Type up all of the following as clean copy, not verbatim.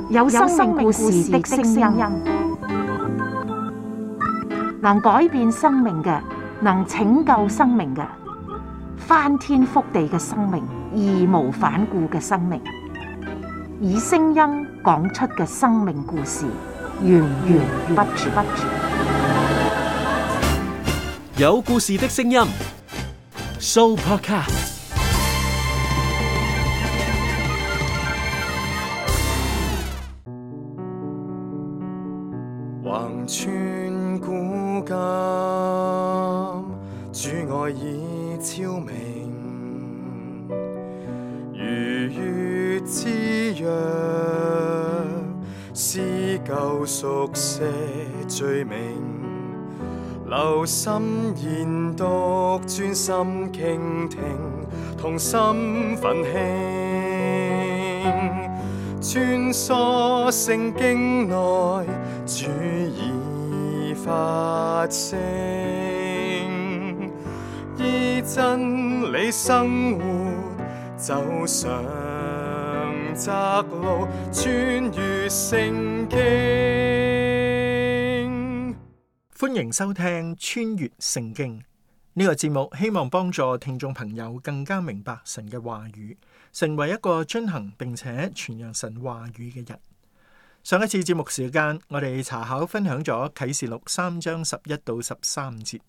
有生命故事的聲音，能改變生命嘅，能拯救生命嘅，翻天覆地嘅生命，義無反顧嘅生命，以聲音講出嘅生命故事，源源不絕。有故事的聲音 ，Sooopodcast。橫穿古今，主愛已超明，如月之約，撕舊熟寫罪名，留心研讀，專心傾聽，同心奮興，穿梭聖經內，主已發聲，依真理生活，走上窄路，穿越聖經。歡迎收聽穿越聖經呢個節目，希望幫助聽眾朋友更加明白神嘅話語，成為一個遵行並且傳揚神話語嘅人。上一次節目時間，我哋查考分享咗啟示錄3章11到13節，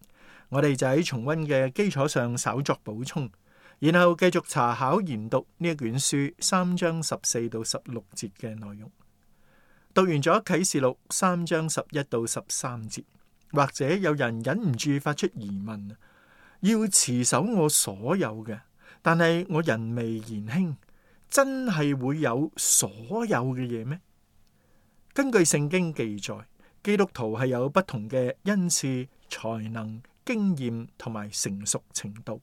我哋就喺重溫嘅基礎上稍作補充，然後繼續查考研讀呢一卷書3章14到16節嘅內容。讀完咗啟示錄3章11到13節，或者有人忍唔住發出疑問：要持守我所有嘅，但係我人微言輕，真係會有所有嘅嘢咩？根據聖經記載，基督徒係有不同嘅恩賜、才能、經驗同埋成熟程度。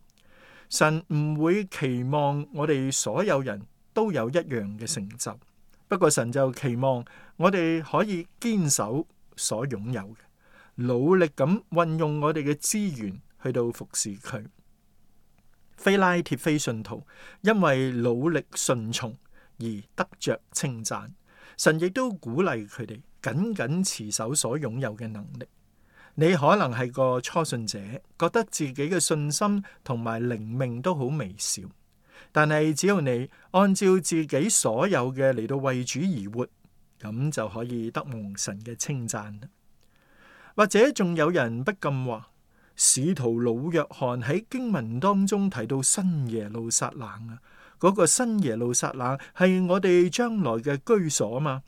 神唔會期望我哋所有人都有一樣嘅成就，不過神就期望我哋可以堅守所擁有嘅，努力咁運用我哋嘅資源去到服侍佢。非拉鐵非信徒因為努力順從而得着稱讚。神亦都鼓勵佢哋緊緊持守所擁有嘅能力。你可能係個初信者，覺得自己嘅信心同埋靈命都好微小，但係只要你按照自己所有嘅嚟到為主而活，咁就可以得蒙神嘅稱讚。或者仲有人不禁話，使徒老約翰喺經文當中提到新耶路撒冷啊，嗰個新耶路撒冷係我哋將來嘅居所嘛？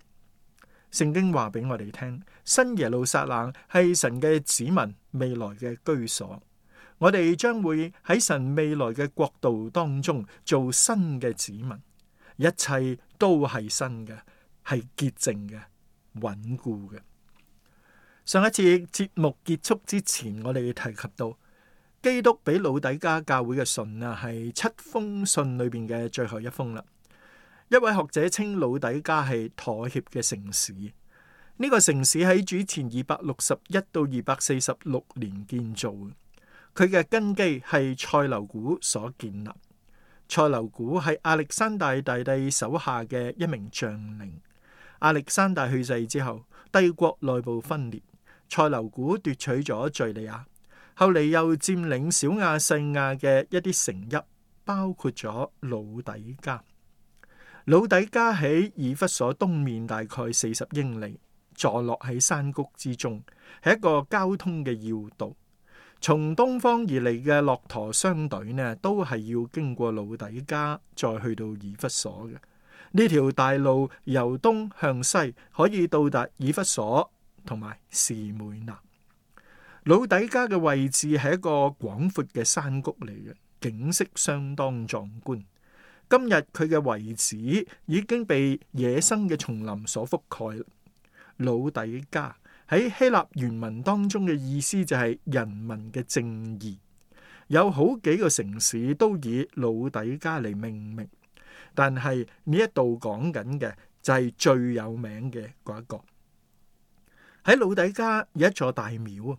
聖經話俾我哋聽，新耶路撒冷係神嘅子民未來嘅居所。我哋將會喺神未來嘅國度當中做新嘅子民，一切都係新嘅，係潔淨嘅、穩固嘅。上一次節目結束之前，我哋提及到基督俾老底嘉教會嘅信啊，係7封信裏邊嘅最後一封啦。一位學者稱老底嘉係妥協嘅城市。呢個城市喺主前261到246年建造，佢嘅根基係塞琉古所建立。塞琉古係亞歷山大大帝手下嘅一名將領。亞歷山大去世之後，帝國內部分裂，塞琉古奪取咗敘利亞，後嚟又佔領小亞細亞嘅一啲城邑，包括咗老底嘉。老底嘉喺以弗所東面大概40英里，坐落喺山谷之中，係一個交通嘅要道。從東方而嚟嘅駱駝商隊呢，都係要經過老底嘉，再去到以弗所嘅。呢條大路由東向西可以到達以弗所同埋士每拿。老底嘉嘅位置係一個廣闊嘅山谷嚟嘅，景色相當壯觀。今日佢嘅遺址已經被野生嘅叢林所覆蓋。老底嘉喺希臘原文當中嘅意思就係人民嘅正義。有好幾個城市都以老底嘉嚟命名，但係呢一度講緊嘅就係最有名嘅嗰一個。喺老底嘉有一座大廟，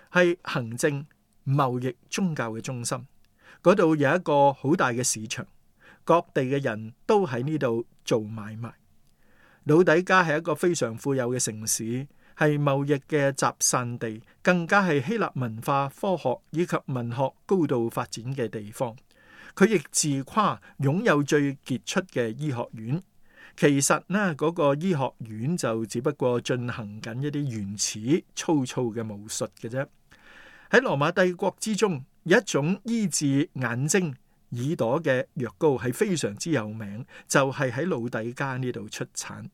係行政、貿易、宗教嘅中心。嗰度有一個好大嘅市場，各地嘅人都喺呢度做買賣。老底嘉係一個非常富有嘅城市，係貿易嘅集散地，更加係希臘文化、科學以及文學高度發展嘅地方。佢亦自誇擁有最傑出嘅醫學院。其實呢，嗰個醫學院就只不過進行緊一啲原始粗糙嘅巫術嘅啫。喺羅馬帝國之中，有一種醫治眼睛、耳朵嘅藥膏係非常之有名，就係喺老底嘉呢度出產。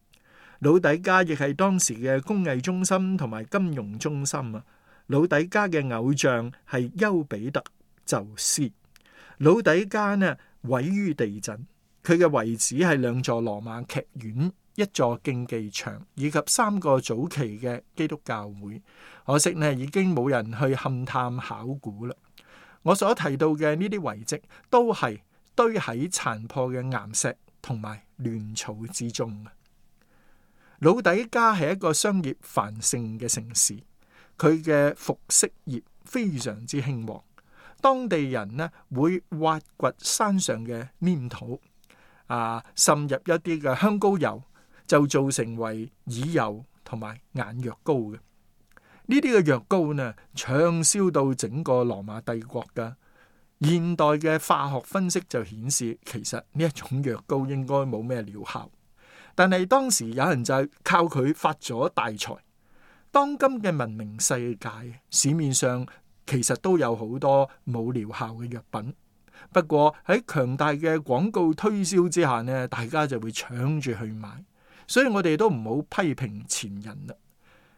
老底嘉亦係當時嘅工藝中心同埋金融中心啊。老底嘉嘅偶像係丘比特宙斯。老底嘉呢毀於地震，佢嘅遺址係兩座羅馬劇院、一座競技場以及3個早期嘅基督教會。可惜呢，已經冇人去勘探考古啦。我所提到嘅呢啲遺跡都係堆喺殘破嘅岩石同埋亂草之中。老底嘉係一個商業繁盛嘅城市，佢嘅服飾業非常之興旺。當地人呢會挖掘山上嘅黏土，滲入一啲嘅香膏油，就做成為耳油同埋眼藥膏嘅。呢啲嘅藥膏呢，暢銷到整個羅馬帝國噶。現代嘅化學分析就顯示，其實呢一種藥膏應該冇咩療效，但係當時有人就係靠佢發咗大財。當今嘅文明世界，市面上其實都有好多冇療效嘅藥品，不過喺強大嘅廣告推銷之下呢，大家就會搶住去買，所以我哋都唔好批評前人啦。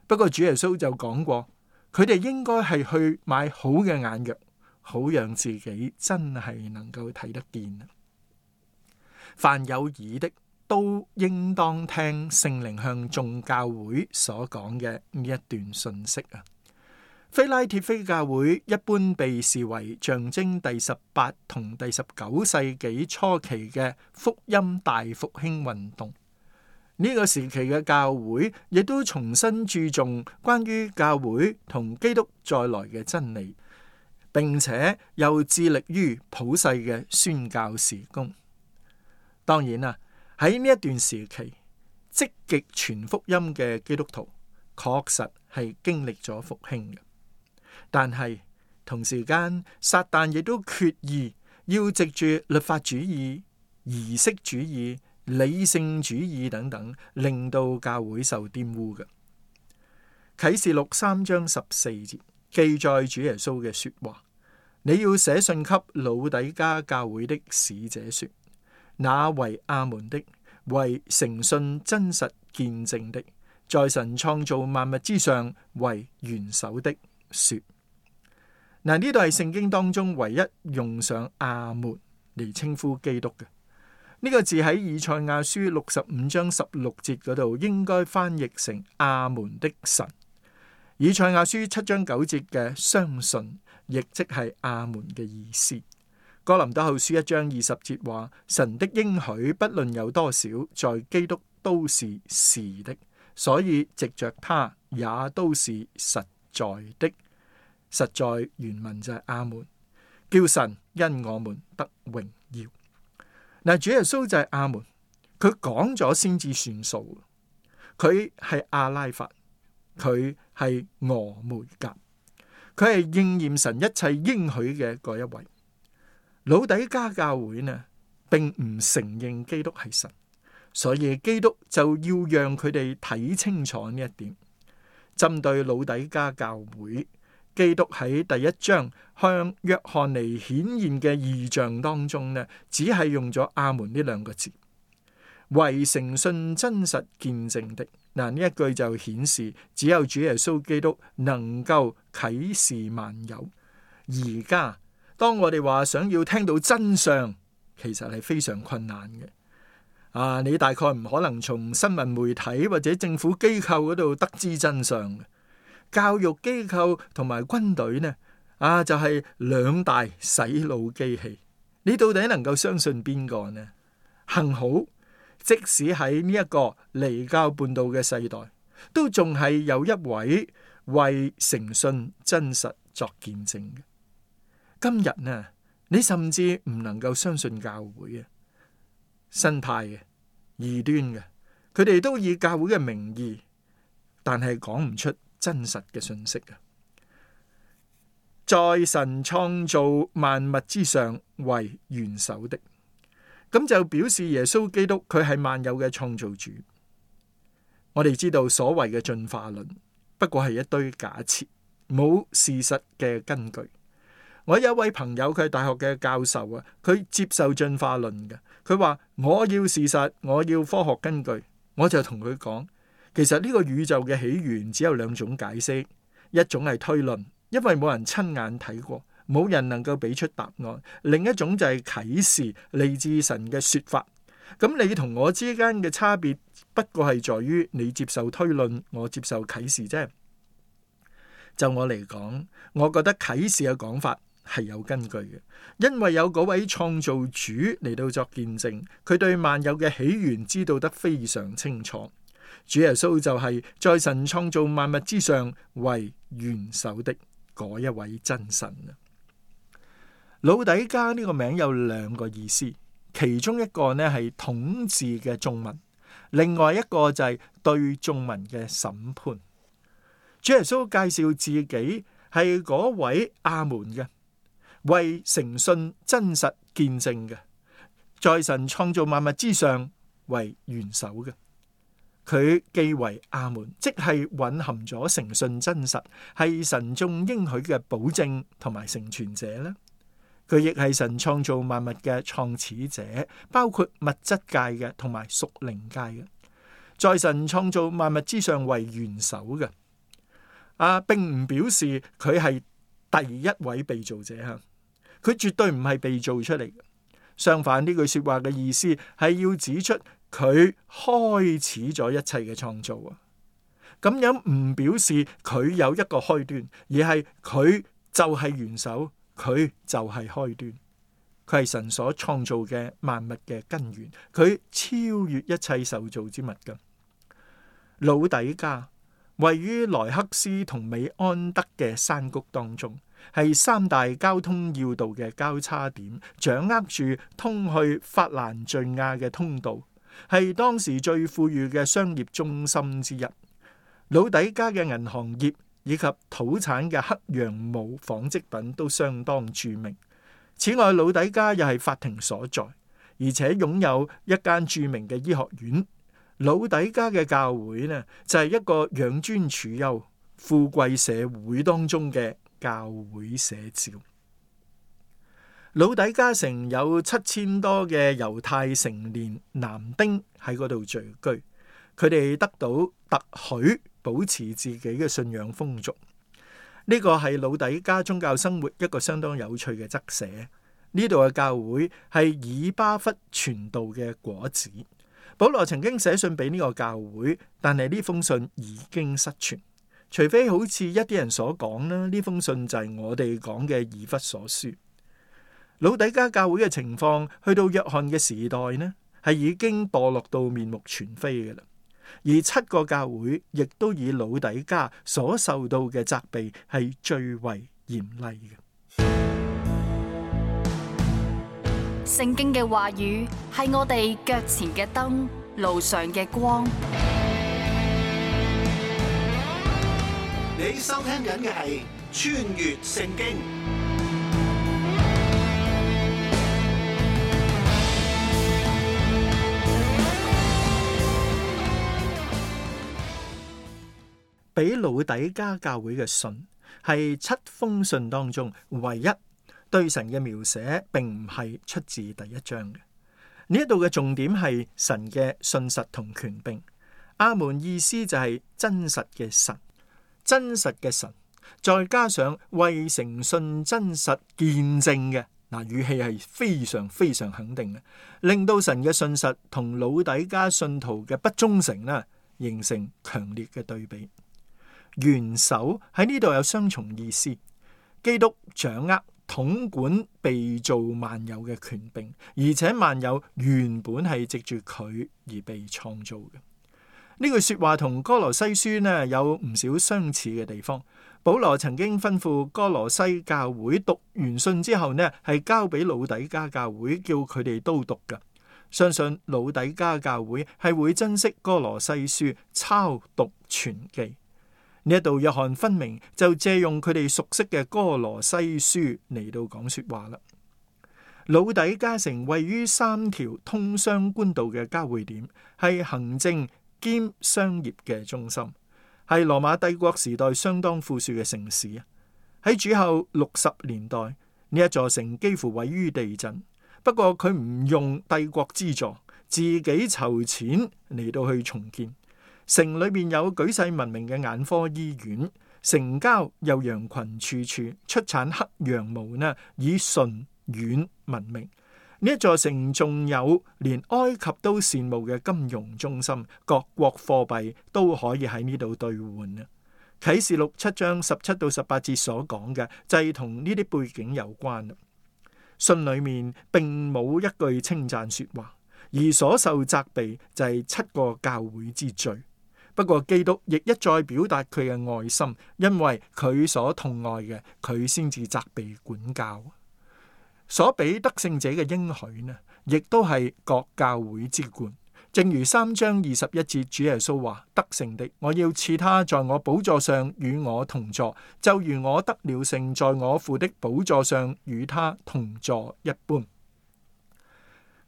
不過主耶穌就講過，佢哋應該係去買好嘅眼藥，好讓自己真係能夠睇得見。凡有耳的，都應當聽聖靈向眾教會所講嘅呢一段信息啊。非拉鐵非教會一般被視為象徵第18同第19世紀初期嘅福音大復興運動。呢個時期嘅教會亦都重新注重關於教會同基督再來嘅真理，並且又致力於普世嘅宣教事工。當然啦，喺呢一段時期，積極傳福音嘅基督徒確實係經歷咗復興嘅，但係同時間撒旦亦都決意要藉住律法主義、儀式主義、理性主義等等，令到教會受玷污嘅。啟示錄3章14節記載主耶穌嘅說話：你要寫信給老底嘉教會的使者說，那為阿門的，為誠信真實見證的，在神創造萬物之上為元首的說。嗱，呢度係聖經當中唯一用上阿門嚟稱呼基督嘅。呢個字喺以賽亞書65章16節嗰度應該翻譯成阿門的神。以賽亞書7章9節嘅相信，亦即係阿門嘅意思。哥林多後書1章20節話，神的應許不論有多少，在基督都是是的，所以藉着他也都是實在的。實在原文就係阿門，叫神因我們得榮耀。嗱，主耶穌就係阿門，佢講咗先至算數。佢係阿拉法，佢係俄梅甲，佢係應驗神一切應許嘅嗰一位。老底嘉教會呢，並唔承認基督係神，所以基督就要讓佢哋睇清楚呢一點。針對老底嘉教會，基督喺第1章向約翰尼顯現嘅異象當中呢，只係用咗阿門呢2個字，為誠信真實見證的。嗱，呢一句就顯示只有主耶穌基督能夠啟示萬有。而家當我哋話想要聽到真相，其實係非常困難嘅。你大概唔可能從新聞媒體或者政府機構嗰度得知真相嘅。教育機構同埋軍隊呢，就係2大洗腦機器。你到底能夠相信邊個呢？幸好，即使喺呢一個離教叛道嘅世代，都仲係有一位為誠信真實作見證嘅。今日呢，你甚至唔能夠相信教會嘅新派嘅異端嘅，佢哋都以教會嘅名義，但係講唔出真實嘅信息啊！在神創造萬物之上為元首的，咁就表示耶穌基督佢係萬有嘅創造主。我哋知道所謂嘅進化論不過係一堆假設，冇事實嘅根據。我有一位朋友，佢係大學嘅教授啊，佢接受進化論嘅。佢話我要事實，我要科學根據。我就同佢講，其實呢個宇宙嘅起源只有兩種解釋，一種係推論，因為冇人親眼睇過，冇人能夠俾出答案；另一種就係啟示，嚟自神嘅說法。咁你同我之間嘅差別，不過係在於你接受推論，我接受啟示啫。就我嚟講，我覺得啟示嘅講法係有根據嘅，因為有嗰位創造主嚟到作見證，佢對萬有嘅起源知道得非常清楚。主耶穌就係在神創造萬物之上為元首的嗰一位真神啊！老底嘉呢個名有兩個意思，其中一個呢係統治嘅眾民，另外一個就係對眾民嘅審判。主耶穌介紹自己係嗰位阿門嘅，為誠信真實見證嘅，在神創造萬物之上為元首嘅。佢既為阿門，即係蘊含咗誠信真實，係神眾應許嘅保證同埋成全者啦。佢亦係神創造萬物嘅創始者，包括物質界嘅同埋屬靈界嘅，在神創造萬物之上為元首嘅。並唔表示佢係第一位被造者吓，佢絕對唔係被造出嚟嘅。相反，呢句說話嘅意思係要指出佢開始咗一切嘅創造啊。咁樣唔表示佢有一個開端，而係佢就係元首，佢就係開端。佢係神所創造嘅萬物嘅根源，佢超越一切受造之物嘅。老底嘉位於萊克斯同美安德嘅山谷當中，係三大交通要道嘅交叉點，掌握住通去法蘭敘亞嘅通道，係當時最富裕嘅商業中心之一。老底嘉嘅銀行業以及土產嘅黑羊毛紡織品都相當著名。此外，老底嘉又係法庭所在，而且擁有一間著名嘅醫學院。老底嘉嘅教會呢，就係一個養尊處優、富貴社會當中嘅教會寫照。老底嘉城有7000多嘅猶太成年男丁喺嗰度聚居，佢哋得到特許保持自己嘅信仰風俗。呢個係老底嘉宗教生活一個相當有趣嘅側寫。呢度嘅教會係以巴弗傳道嘅果子。保羅曾經寫信俾呢個教會，但係呢封信已經失傳，除非好似一啲人所講啦，呢封信就係我哋講嘅以弗所書。老底嘉教會嘅情況去到約翰嘅時代呢，係已經墮落到面目全非嘅啦。而7個教會亦都以老底嘉所受到嘅責備係最為嚴厲嘅。聖經嘅話語係我哋腳前嘅燈，路上嘅光。你收聽緊嘅係穿越聖經。俾老底嘉教會嘅信係7封信當中唯一對神嘅描寫，並唔係出自第一章嘅。呢一度嘅重點係神嘅信實同權柄。阿門意思就係真實嘅神，真實嘅神，再加上為誠信真實見證嘅，語氣係非常非常肯定嘅，令到神嘅信實同老底嘉信徒嘅不忠誠啦，形成強烈嘅對比。元首喺呢度有雙重意思，基督掌握統管被造萬有嘅權柄，而且萬有原本係藉住佢而被創造嘅。呢句說話同哥羅西書呢有唔少相似嘅地方。保羅曾經吩咐哥羅西教會讀完信之後呢，係交俾老底嘉教會，叫佢哋都讀㗎。相信老底嘉教會係會珍惜哥羅西書，抄讀傳記。呢一度約翰分明就借用佢哋熟悉嘅哥羅西書嚟到講說話啦。老底嘉城位於3條通商官道嘅交匯點，係行政兼商業嘅中心，係羅馬帝國時代相當富庶嘅城市啊。喺主後60年代，呢一座城幾乎毀於地震，不過佢唔用帝國資助，自己籌錢嚟到去重建。城裏面有舉世聞名嘅眼科醫院，城郊又羊群處處，出產黑羊毛呢，以純軟聞名。呢一座城仲有連埃及都羨慕嘅金融中心，各國貨幣都可以喺呢度兌換啊。啟示錄7章17到18節所講嘅就係同呢啲背景有關。信裏面並冇一句稱讚說話，而所受責備就係7個教會之罪。不過基督亦一再表達佢嘅愛心，因為佢所痛愛嘅，佢先至責備管教。所俾得勝者嘅應許呢，亦都係各教會之冠。正如3章21節主耶穌話：得勝的，我要賜他在我寶座上與我同坐，就如我得了勝，在我父的寶座上與他同坐一般。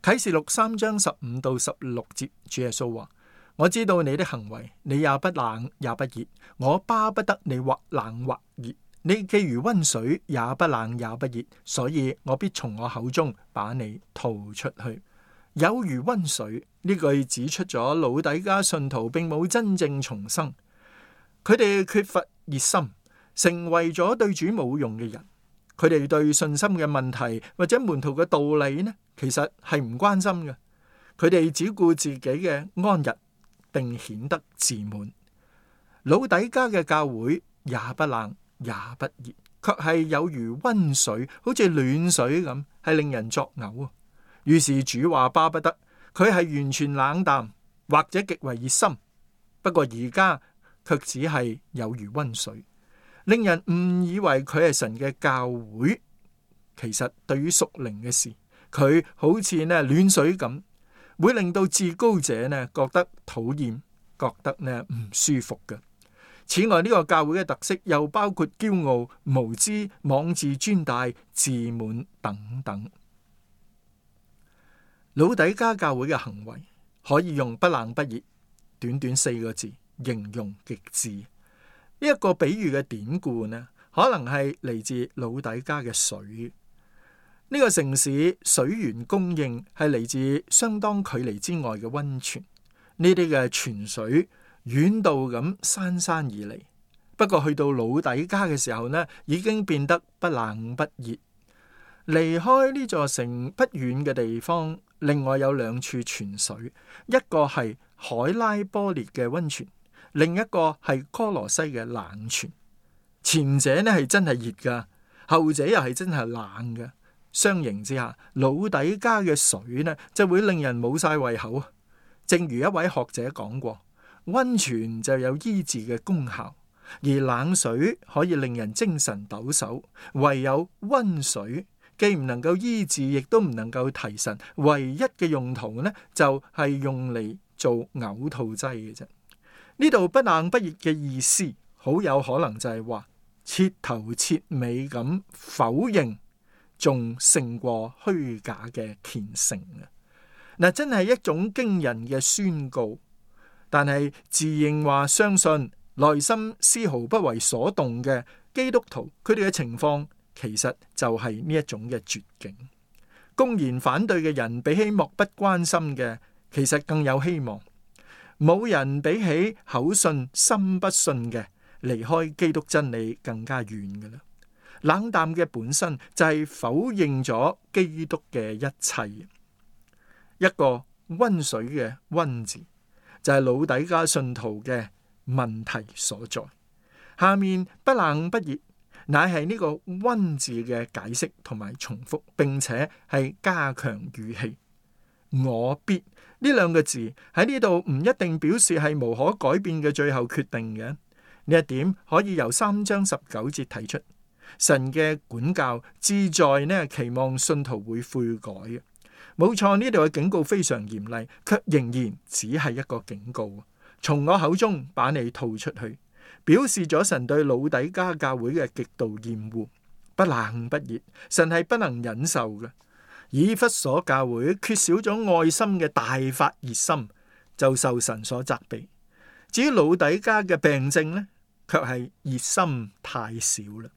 啟示錄3章15到16節主耶穌話：我知道你的行為，你也不冷也不熱，我巴不得你或冷或熱。你既如溫水，也不冷也不熱，所以我必從我口中把你吐出去。有如溫水呢句指出咗老底嘉信徒並冇真正重生，佢哋缺乏熱心，成為咗對主冇用嘅人。佢哋對信心嘅問題或者門徒嘅道理呢，其實係唔關心嘅。佢哋只顧自己嘅安逸，並顯得自滿。老底嘉嘅教會也不冷也不熱，卻係有如溫水，好似暖水咁，係令人作嘔。於是主話巴不得佢係完全冷淡或者極為熱心，不過而家卻只係有如溫水，令人誤以為佢係神嘅教會。其實對於屬靈嘅事，佢好似暖水咁，會令到至高者覺得討厭，覺得唔舒服嘅。此外，呢個教會嘅特色又包括驕傲、無知、妄自尊大、自滿等等。老底嘉教會嘅行為可以用不冷不熱，短短4個字形容極致。呢一個比喻嘅典故可能係嚟自老底嘉嘅水。呢個城市水源供應係嚟自相當距離之外嘅溫泉，呢啲嘅泉水遠道咁姍姍而嚟。不過去到老底嘉嘅時候已經變得不冷不熱。離開呢座城不遠嘅地方，另外有2處泉水，一個係海拉波列嘅溫泉，另一個係哥羅西嘅冷泉。前者係真係熱噶，後者又係真係冷嘅。相形之下，老底嘉嘅水就會令人冇晒胃口。正如一位學者講過，溫泉就有醫治嘅功效，而冷水可以令人精神抖擻，唯有溫水既唔能夠醫治，亦都唔能夠提神，唯一嘅用途就係用嚟做嘔吐劑嘅啫。呢度不冷不熱嘅意思，好有可能就係話徹頭徹尾咁否認，仲勝過虛假嘅虔誠啊！真係一種驚人嘅宣告。但係自認話相信，內心絲毫不為所動嘅基督徒，佢哋嘅情況其實就係呢一種嘅絕境。公然反對嘅人，比起漠不關心嘅，其實更有希望。冇人比起口信心不信嘅，離開基督真理更加遠嘅啦。冷淡嘅本身就係否認咗基督嘅一切。一個溫水嘅溫字，就係老底嘉信徒嘅問題所在。下面不冷不熱，乃係呢個溫字嘅解釋同埋重複，並且係加強語氣。我必呢2個字喺呢度唔一定表示係無可改變嘅最後決定嘅。呢一點可以由3章19節提出。神嘅管教志在期望信徒會悔改嘅。冇錯，呢度嘅警告非常嚴厲，卻仍然只係一個警告。從我口中把你吐出去，表示咗神對老底嘉教會嘅極度厭惡，不冷不熱，神係不能忍受嘅。以弗所教會缺少咗愛心嘅大發熱心，就受神所責備。至於老底嘉嘅病症呢，卻係熱心太少啦。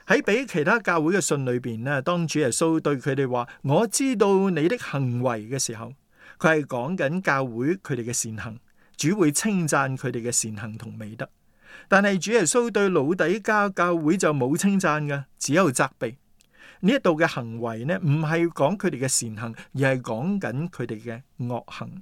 喺俾其他教會嘅信裏邊呢，當主耶穌對佢哋話我知道你的行為嘅時候，佢係講緊教會佢哋嘅善行，主會稱讚佢哋嘅善行同美德。但係主耶穌對老底嘉教會就冇稱讚嘅，只有責備。呢一度嘅行為呢，唔係講佢哋嘅善行，而係講緊佢哋嘅惡行。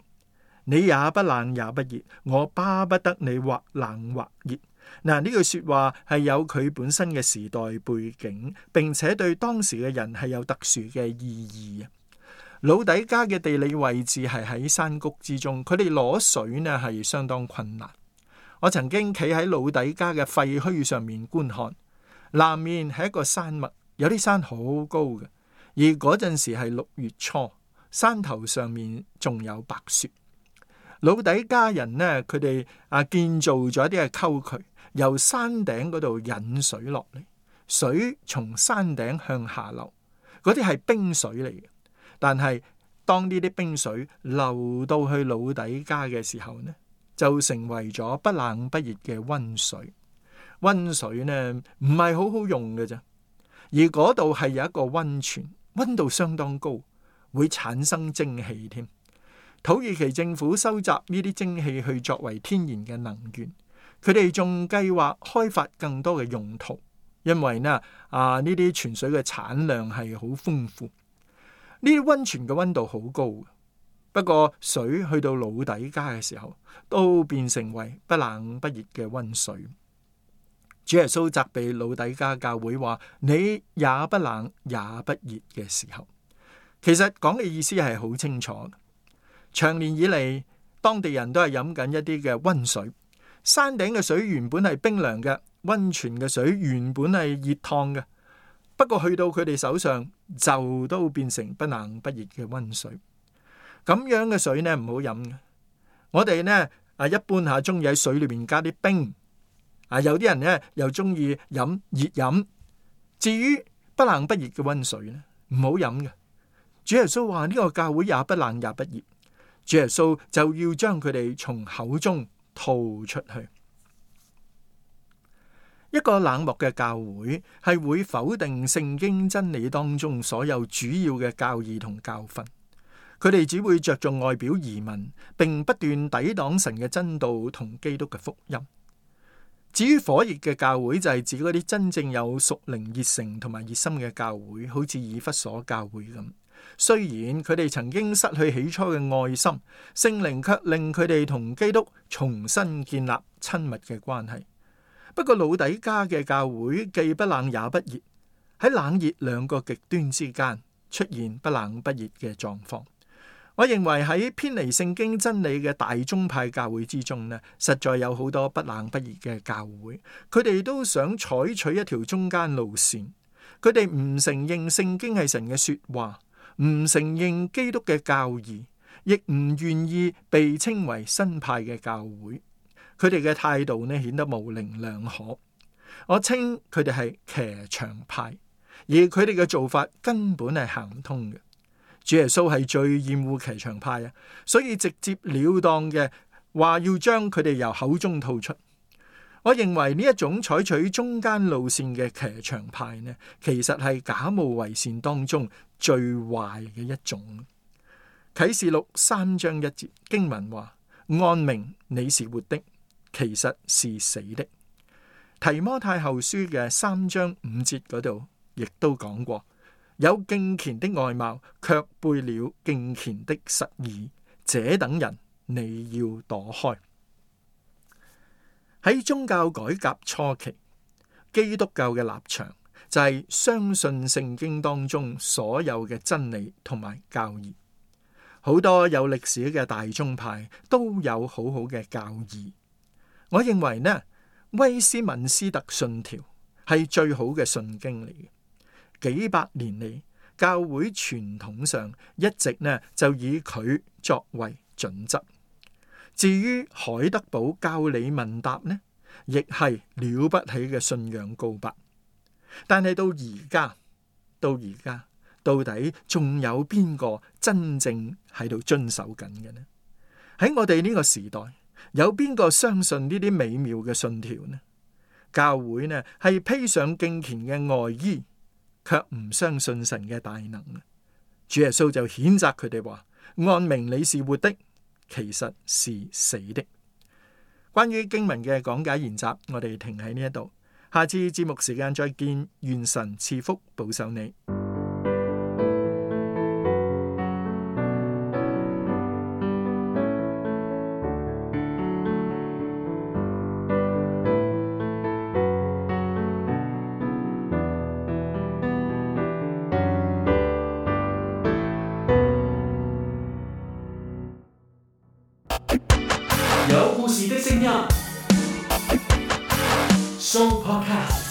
你也不冷也不熱，我巴不得你或冷或熱。嗱，呢句說話係有佢本身嘅時代背景，並且對當時嘅人係有特殊嘅意義啊。老底嘉嘅地理位置係喺山谷之中，佢哋攞水呢係相當困難。我曾經企喺老底嘉嘅廢墟上面觀看，南面係一個山脈，有啲山好高嘅，而嗰陣時係6月初，山頭上面仲有白雪。老底嘉人呢，佢哋建造咗一啲嘅溝渠，由山頂嗰度引水落嚟，水從山頂向下流，嗰啲係冰水嚟嘅。但係當呢啲冰水流到去老底嘉嘅時候呢，就成為咗不冷不熱嘅溫水。溫水呢唔係好好用嘅啫，而嗰度係有一個溫泉，溫度相當高，會產生蒸氣添。土耳其政府收集呢啲蒸氣去作為天然嘅能源，佢哋仲計劃開發更多嘅用途，因為呢啲泉水嘅產量係好豐富。呢啲溫泉嘅溫度好高，不過水去到老底嘉嘅時候，都變成為不冷不熱嘅溫水。主耶穌責備老底嘉教會話：你也不冷也不熱嘅時候，其實講嘅意思係好清楚。長年以嚟，當地人都係飲緊一啲嘅溫水，山頂嘅水原本係冰涼嘅，溫泉嘅水原本係熱燙嘅，不過去到佢哋手上就都變成不冷不熱嘅溫水。咁樣嘅水呢唔好飲嘅。我哋呢一般中意喺水裏面加啲冰，有啲人呢又中意飲熱飲。至於不冷不熱嘅溫水呢，唔好飲嘅。主耶穌話呢個教會也不冷也不熱。主耶穌就要將佢哋從口中吐出去。一個冷漠嘅教會係會否定聖經真理當中所有主要嘅教義同教訓，佢哋只會着重外表儀文，並不斷抵擋神嘅真道同基督嘅福音。至於火熱嘅教會，就係指嗰啲真正有屬靈熱誠同埋熱心嘅教會，好似以弗所教會咁。雖然佢哋曾經失去起初嘅愛心，聖靈卻令佢哋同基督重新建立親密嘅關係。不過老底嘉嘅教會既不冷也不熱，喺冷熱兩個極端之間出現不冷不熱嘅狀況。我認為喺偏離聖經真理嘅大宗派教會之中呢，實在有好多不冷不熱嘅教會，佢哋都想採取一條中間路線。佢哋唔承認聖經係神嘅說話，唔承認基督嘅教義，亦唔願意被稱為新派嘅教會。佢哋嘅態度呢，顯得模棱兩可。我稱佢哋係騎牆派，而佢哋嘅做法根本係行唔通嘅。主耶穌係最厭惡騎牆派啊，所以直接了當嘅話要將佢哋由口中吐出。我認為呢一種採取中間路線嘅騎牆派呢，其實係假冒為善當中最壞嘅一種。啟示錄3章1節經文話：按名你是活的，其實是死的。提摩太後書嘅3章5節嗰度亦都講過，有敬虔的外貌，卻背了敬虔的實意，這等人你要躲開。喺宗教改革初期，基督教嘅立場就係相信聖經當中所有嘅真理同埋教義。好多有歷史嘅大宗派都有好好嘅教義。我認為呢，威斯敏斯特信條係最好嘅信經嚟嘅。幾百年嚟，教會傳統上一直呢就以佢作為準則。至於海德堡教理問答呢，亦係了不起嘅信仰告白。但係到而家，到底仲有邊個真正喺度遵守緊嘅呢？喺我哋呢個時代，有邊個相信呢啲美妙嘅信條呢？教會呢係披上敬虔嘅外衣，卻唔相信神嘅大能。主耶穌就譴責佢哋話：按名你是活的，其實是死的。關於經文嘅講解研習，我哋停喺呢一度，下次節目時間再見，願神賜福保守你。有故事的聲音，Show Podcast。